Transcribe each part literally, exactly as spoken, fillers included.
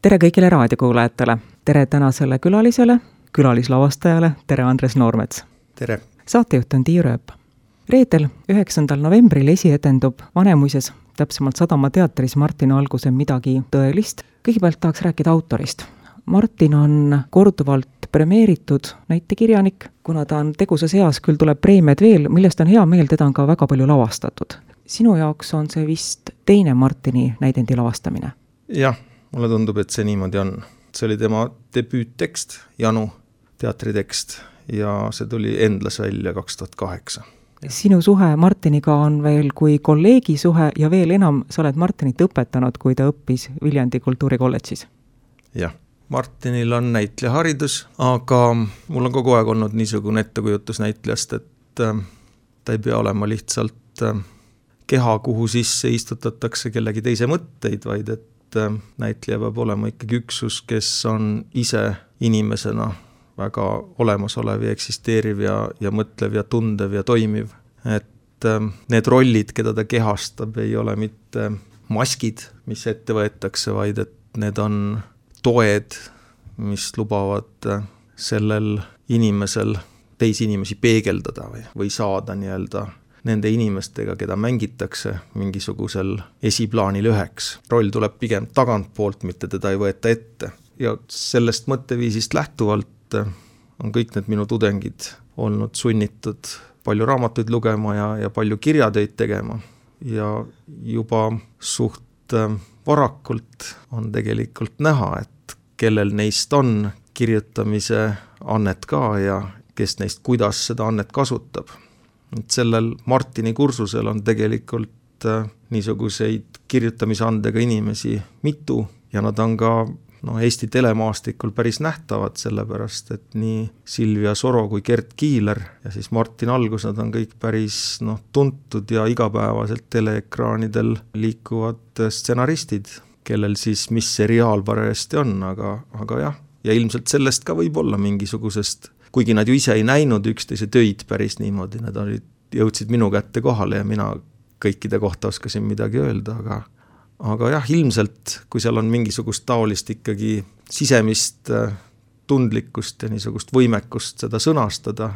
Tere kõigile raadiokuulajatele. Tere tänasele külalisele, külalislavastajale. Tere Andres Noormets. Tere. Saatejuht on Tiiu Rööp. Reedel üheksandal novembril esietendub Vanemuises, täpsemalt Sadama teatris Martin Alguse Midagi tõelist. Kõigepealt tahaks rääkida autorist. Martin on korduvalt premeeritud näitekirjanik, kuna ta on tegusas eas, küll tuleb preemiad veel, millest on hea meel, teda on ka väga palju lavastatud. Sinu jaoks on see vist teine Martini näidendi lavastamine? Jah, mulle tundub, et see niimoodi on. See oli tema debüüttekst, Janu teatritekst, ja see tuli Endlas välja kaks tuhat kaheksa. Sinu suhe Martiniga on veel kui kolleegi suhe ja veel enam sa oled Martinit õpetanud, kui ta õppis Viljandi kultuurikolledžis. Jah, Martinil on näitlejaharidus, aga mul on kogu aeg olnud niisugune ettekujutus näitlejast, et ta ei pea olema lihtsalt keha, kuhu sisse istutatakse kellegi teise mõtteid, vaid et näitleja peab olema ikkagi üksus, kes on ise inimesena väga olemasolev ja eksisteeriv ja, ja mõtlev ja tundev ja toimiv. Et need rollid, keda ta kehastab, ei ole mitte maskid, mis ette võetakse, vaid et need on toed, mis lubavad sellel inimesel teisi inimesi peegeldada või, või saada nii-öelda nende inimestega, keda mängitakse mingisugusel esiplaanil üheks. Roll tuleb pigem tagantpoolt, mitte teda ei võeta ette. Ja sellest mõtteviisist lähtuvalt on kõik need minu tudengid olnud sunnitud palju raamatuid lugema ja, ja palju kirjatöid tegema. Ja juba suht varakult on tegelikult näha, et kellel neist on kirjutamise annet ka ja kes neist kuidas seda annet kasutab. Et sellel Martini kursusel on tegelikult äh, niisuguseid kirjutamisandega inimesi mitu ja nad on ka no, Eesti telemaastikul päris nähtavad, sellepärast et nii Silvia Soro kui Gert Kiiler ja siis Martin Algus, nad on kõik päris no, tuntud ja igapäevaselt teleekraanidel liikuvad stsenaristid, kellel siis mis seriaal parajasti on, aga, aga jah, ja ilmselt sellest ka võib olla mingisugusest, kuigi nad ju ise ei näinud üksteise töid päris niimoodi, nad olid, jõudsid minu kätte kohale ja mina kõikide kohta oskasin midagi öelda, aga, aga jah, ilmselt, kui seal on mingisugust taolist ikkagi sisemist tundlikkust ja niisugust võimekust seda sõnastada,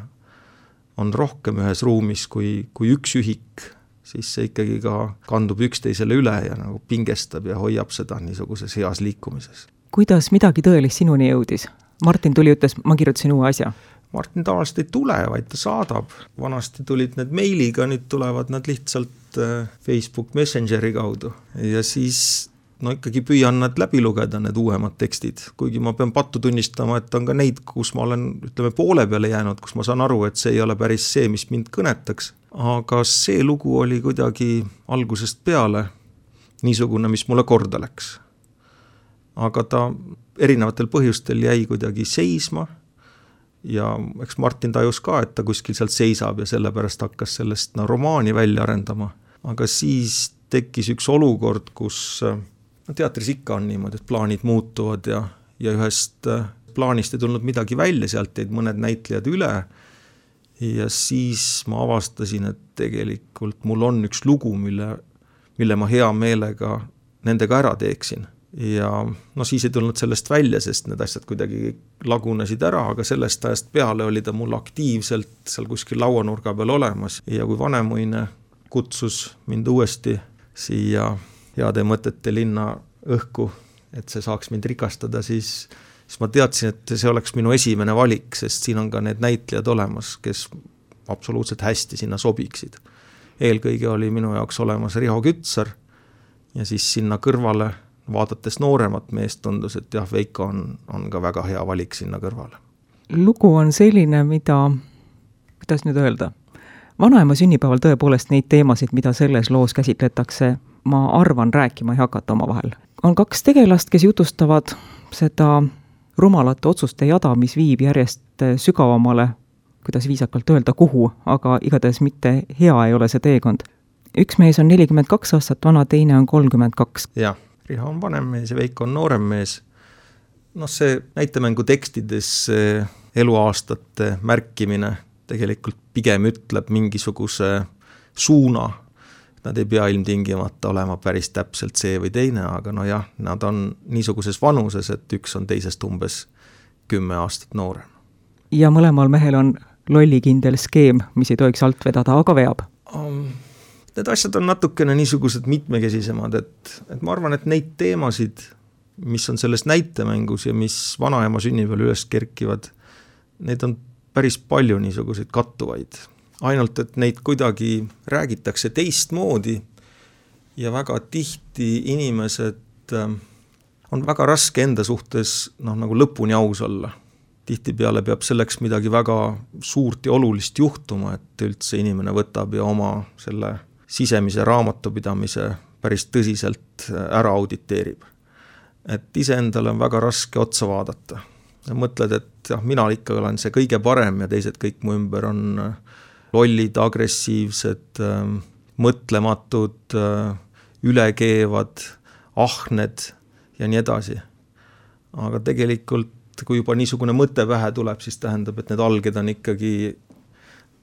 on rohkem ühes ruumis kui, kui üks ühik, siis see ikkagi ka kandub üksteisele üle ja nagu pingestab ja hoiab seda niisuguses heas liikumises. Kuidas midagi tõelist sinuni jõudis? Martin tuli, ütles, ma kirjutasin uue asja. Martin tavaliselt ei tule, vaid ta saadab. Vanasti tulid need meiliga, nüüd tulevad nad lihtsalt Facebook Messengeri kaudu. Ja siis no ikkagi püüan nad läbi lugeda, need uuemad tekstid. Kuigi ma pean pattu tunnistama, et on ka neid, kus ma olen ütleme, poole peale jäänud, kus ma saan aru, et see ei ole päris see, mis mind kõnetaks. Aga see lugu oli kuidagi algusest peale niisugune, mis mulle korda läks. Aga ta erinevatel põhjustel jäi kuidagi seisma ja eks Martin tajus ka, et ta kuskil sealt seisab ja sellepärast hakkas sellest no, romaani välja arendama. Aga siis tekkis üks olukord, kus no, teatris ikka on niimoodi, et plaanid muutuvad ja, ja ühest plaanist ei tulnud midagi välja, sealt jäid mõned näitlejad üle ja siis ma avastasin, et tegelikult mul on üks lugu, mille, mille ma hea meelega nendega ära teeksin. Ja no siis ei tulnud sellest välja, sest need asjad kuidagi lagunesid ära, aga sellest ajast peale oli ta mul aktiivselt seal kuskil lauanurga peal olemas ja kui Vanemuine kutsus mind uuesti siia heade mõtete linna õhku, et see saaks mind rikastada, siis, siis ma teadsin, et see oleks minu esimene valik, sest siin on ka need näitlejad olemas, kes absoluutselt hästi sinna sobiksid. Eelkõige oli minu jaoks olemas Riho Kütsar ja siis sinna kõrvale vaadates nooremat meest tundus, et jah, Veiko on, on ka väga hea valik sinna kõrvale. Lugu on selline, mida, kuidas nüüd öelda, vanaema sünnipäeval tõepoolest neid teemasid, mida selles loos käsitletakse, ma arvan, rääkima ei hakata oma vahel. On kaks tegelast, kes jutustavad seda rumalate otsuste jada, mis viib järjest sügavamale, kuidas viisakalt öelda, kuhu, aga igatahes mitte hea ei ole see teekond. Üks mees on nelikümmend kaks aastat vana, teine on kolmkümmend kaks. Jah. Riho on vanem mees ja Veiko on noorem mees. noh, see näitemängu tekstides eluaastate märkimine tegelikult pigem ütleb mingisuguse suuna, nad ei pea ilmtingimata olema päris täpselt see või teine, aga no jah, nad on niisuguses vanuses, et üks on teisest umbes kümme aastat noorem. Ja mõlemal mehel on lollikindel skeem, mis ei tohiks alt vedada, aga veab. Um, need asjad on natukene niisugused mitmekesisemad, et, et ma arvan, et neid teemasid, mis on selles näitemängus ja mis vanaema sünnipäeval üles kerkivad, neid on päris palju niisuguseid kattuvaid. Ainult, et neid kuidagi räägitakse teistmoodi ja väga tihti inimesed on väga raske enda suhtes noh, nagu lõpuni aus olla. Tihtipeale peab selleks midagi väga suurt ja olulist juhtuma, et üldse inimene võtab ja oma selle sisemise raamatupidamise päris tõsiselt ära auditeerib. Et iseendale on väga raske otsa vaadata. Ja mõtled, et jah, mina ikka olen see kõige parem ja teised kõik mu ümber on lollid, agressiivsed, mõtlematud, ülekeevad, ahned ja nii edasi. Aga tegelikult, kui juba niisugune mõte pähe tuleb, siis tähendab, et need alged on ikkagi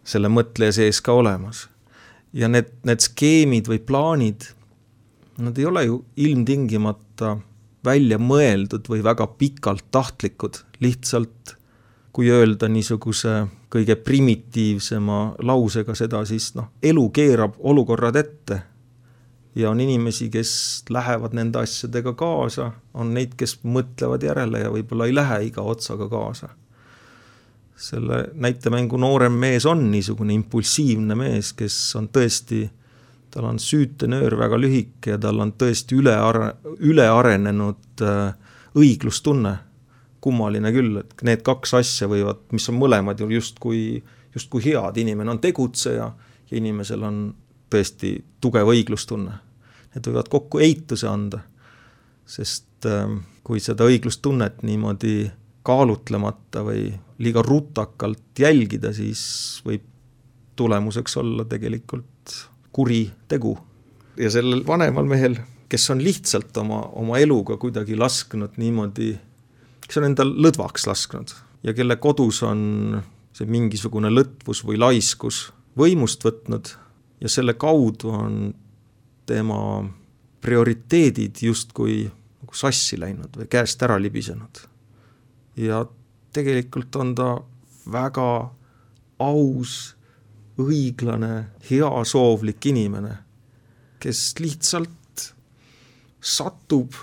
selle mõtleja sees ka olemas. Ja need, need skeemid või plaanid, nad ei ole ju ilmtingimata välja mõeldud või väga pikalt tahtlikud. Lihtsalt, kui öelda niisuguse kõige primitiivsema lausega seda, siis noh, elu keerab olukorrad ette. Ja on inimesi, kes lähevad nende asjadega kaasa, on neid, kes mõtlevad järele ja võib-olla ei lähe iga otsaga kaasa. Selle näitemängu noorem mees on niisugune impulsiivne mees, kes on tõesti, tal on süütenöör väga lühike ja tal on tõesti üle, üle arenenud õiglustunne. Kummaline küll, et need kaks asja võivad, mis on mõlemad ju justkui, justkui head, inimene on tegutseja ja inimesel on tõesti tugev õiglustunne. Need võivad kokku eituse anda, sest kui seda õiglustunnet niimoodi kaalutlemata või liiga rutakalt jälgida, siis võib tulemuseks olla tegelikult kuri tegu. Ja sellel vanemal mehel, kes on lihtsalt oma, oma eluga kuidagi lasknud niimoodi, kes on endal lõdvaks lasknud ja kelle kodus on see mingisugune lõtvus või laiskus võimust võtnud ja selle kaudu on tema prioriteedid justkui nagu sassi läinud või käest ära libisenud. Ja tegelikult on ta väga aus, õiglane, heasoovlik inimene, kes lihtsalt satub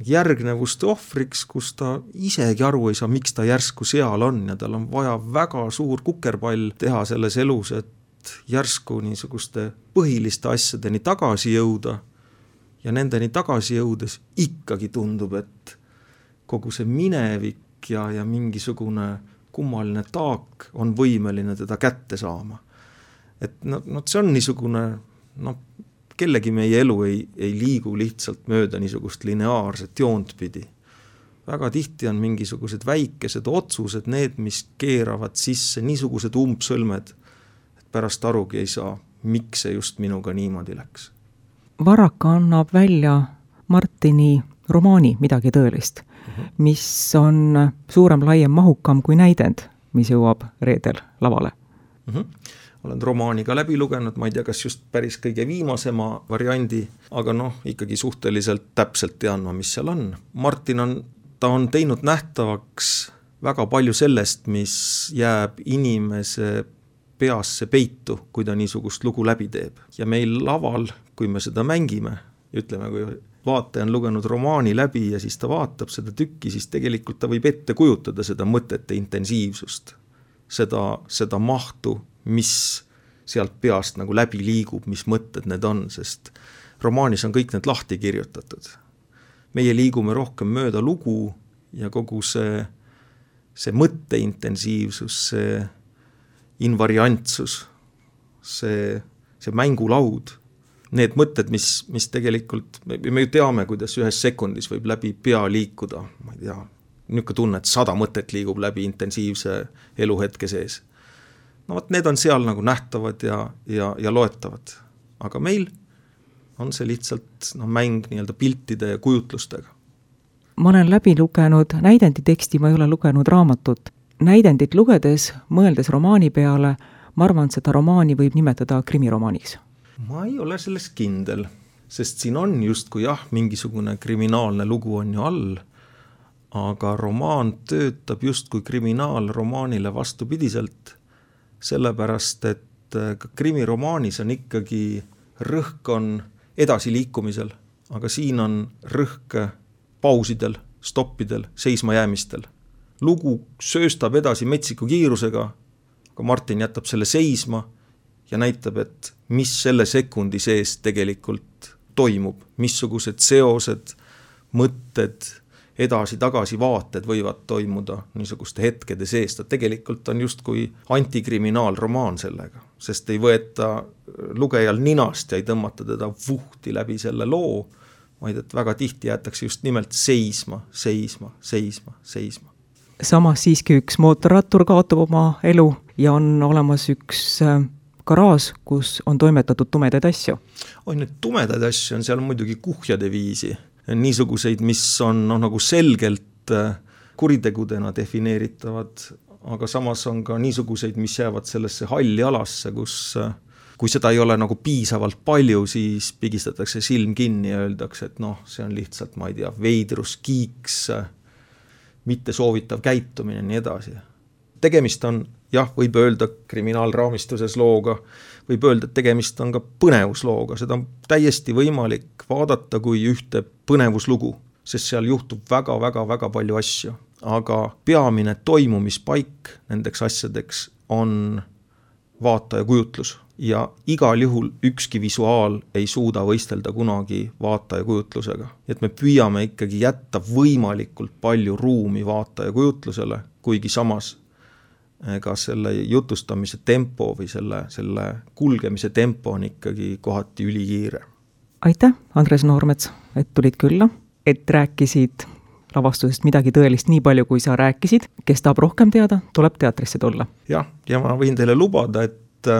järgnevuste ohvriks, kus ta isegi aru ei saa, miks ta järsku seal on ja tal on vaja väga suur kukerpall teha selles elus, et järsku niisuguste põhiliste asjadeni tagasi jõuda ja nendeni tagasi jõudes ikkagi tundub, et kogu see minevik ja, ja mingisugune kummaline taak on võimeline teda kätte saama. Et no, no see on niisugune, no kellegi meie elu ei, ei liigu lihtsalt mööda niisugust lineaarset joont pidi. Väga tihti on mingisugused väikesed otsused, need, mis keeravad sisse niisugused umbsõlmed, et pärast arugi ei saa, miks see just minuga niimoodi läks. Varaka annab välja Martini romaani Midagi tõelist, uh-huh. mis on suurem, laiem, mahukam kui näidend, mis jõuab reedel lavale. Uh-huh. Olen romaani ka läbi lugenud, ma ei tea, kas just päris kõige viimasema variandi, aga noh, ikkagi suhteliselt täpselt tean ma, mis seal on. Martin on, ta on teinud nähtavaks väga palju sellest, mis jääb inimese peasse peitu, kui ta niisugust lugu läbi teeb. Ja meil laval, kui me seda mängime, ütleme, kui vaataja on lugenud romaani läbi ja siis ta vaatab seda tükki, siis tegelikult ta võib ette kujutada seda mõtete intensiivsust, seda, seda mahtu, mis sealt peast nagu läbi liigub, mis mõtted need on, sest romaanis on kõik need lahti kirjutatud. Meie liigume rohkem mööda lugu ja kogu see, see mõtteintensiivsus, see invariantsus, see, see mängulaud, need mõtted, mis, mis tegelikult, me ju teame, kuidas ühes sekundis võib läbi pea liikuda, ma ei tea, niisugune tunne, et sada mõtet liigub läbi intensiivse eluhetke sees. No võt, need on seal nagu nähtavad ja, ja, ja loetavad. Aga meil on see lihtsalt no, mäng nii-öelda piltide ja kujutlustega. Ma olen läbi lugenud näidendi teksti, ma ei ole lugenud raamatut. Näidendit lugedes, mõeldes romaani peale, ma arvan, et seda romaani võib nimetada krimiromaaniks. ma ei ole selles kindel, sest siin on justkui jah, mingisugune kriminaalne lugu on ju all, aga romaan töötab justkui kriminaalromaanile vastupidiselt, sellepärast et ka krimiromaanis on ikkagi rõhk on edasiliikumisel, aga siin on rõhk pausidel, stoppidel, seismajäämistel. Lugu sööstab edasi metsiku kiirusega, aga Martin jätab selle seisma ja näitab, et mis selle sekundi sees tegelikult toimub, missugused seosed, mõtted, edasi-tagasi vaated võivad toimuda niisuguste hetkede sees. Ta tegelikult on justkui antikriminaalromaan sellega, sest ei võeta lugejal ninast ja ei tõmmata teda vuhti läbi selle loo, vaid et väga tihti jäetakse just nimelt seisma, seisma, seisma, seisma. Samas siiski üks mootorrattur kaotab oma elu ja on olemas üks garaaž, kus on toimetatud tumedaid asju. Oi, need tumedaid asju on seal muidugi kuhjade viisi. Niisuguseid, mis on no, nagu selgelt kuritegudena defineeritavad, aga samas on ka niisuguseid, mis jäävad sellesse halli alasse, kus kui seda ei ole nagu piisavalt palju, siis pigistatakse silm kinni ja öeldakse, et noh, see on lihtsalt, ma ei tea, veidrus, kiiks, mitte soovitav käitumine ja nii edasi. Tegemist on, jah, võib öelda kriminaalraamistuses looga, võib öelda, et tegemist on ka põnevuslooga, seda on täiesti võimalik vaadata kui ühte põnevuslugu, sest seal juhtub väga-väga-väga palju asju, aga peamine toimumispaik nendeks asjadeks on vaataja kujutlus ja igal juhul ükski visuaal ei suuda võistelda kunagi vaataja kujutlusega. Et me püüame ikkagi jätta võimalikult palju ruumi vaataja kujutlusele, kuigi samas ega selle jutustamise tempo või selle, selle kulgemise tempo on ikkagi kohati ülikiire. Aitäh, Andres Noormets, et tulid külla, et rääkisid lavastusest midagi tõelist nii palju, kui sa rääkisid. Kes tahab rohkem teada, tuleb teatrisse tulla. Jah, ja ma võin teile lubada, et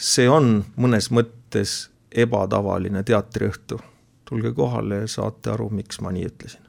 see on mõnes mõttes ebatavaline teatriõhtu. Tulge kohale ja saate aru, miks ma nii ütlesin.